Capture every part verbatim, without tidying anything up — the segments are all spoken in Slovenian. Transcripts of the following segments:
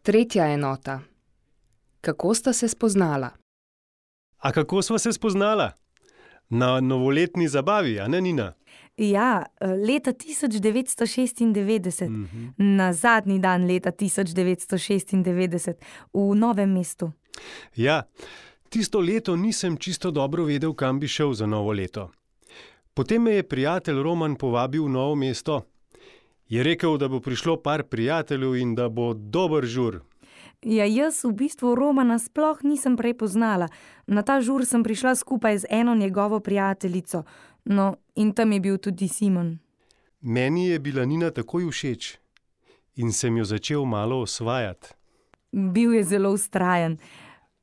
Tretja enota. Kako sta se spoznala? A kako sva se spoznala? Na novoletni zabavi, a ne, Nina? Ja, leta tisoč devetsto šestindevetdeset, Mhm. na zadnji dan leta tisoč devetsto šestindevetdeset, v Novem mestu. Ja, tisto leto nisem čisto dobro vedel, kam bi šel za novo leto. Potem me je prijatelj Roman povabil v Novo mesto. Je rekel, da bo prišlo par prijateljev in da bo dober žur. Ja, jaz v bistvu Romana sploh nisem prej poznala. Na ta žur sem prišla skupaj z eno njegovo prijateljico. No, in tam je bil tudi Simon. Meni je bila Nina takoj všeč in sem jo začel malo osvajati. Bil je zelo vztrajen.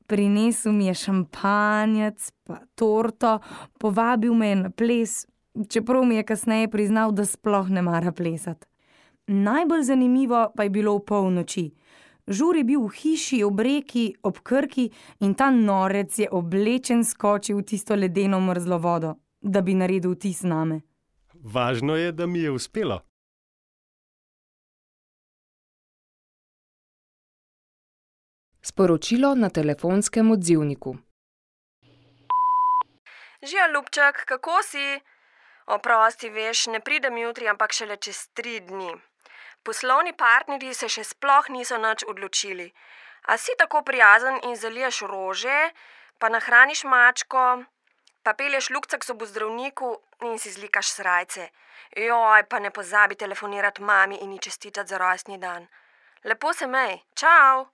Prinesel mi je šampanjec pa torto, povabil me je na ples, čeprav mi je kasneje priznal, da sploh ne mara plesati. Najbolj zanimivo pa je bilo v polnoči. Žur je bil v hiši ob reki, ob Krki, in ta norec je oblečen skočil v tisto ledeno mrzlo vodo, da bi naredil vtis name. Važno je, da mi je uspelo. Sporočilo na telefonskem odzivniku. Živijo, ljubček, kako si? Oprosti, veš, ne pridem jutri, ampak šele čez tri dni. Poslovni partnerji se še sploh niso nič odločili. A si tako prijazen in zaliješ rože, pa nahraniš mačko, pa pelješ Lukca k zobozdravniku in si zlikaš srajce. Joj, pa ne pozabi telefonirati mami in ji čestitati za rojstni dan. Lepo se mej, čau!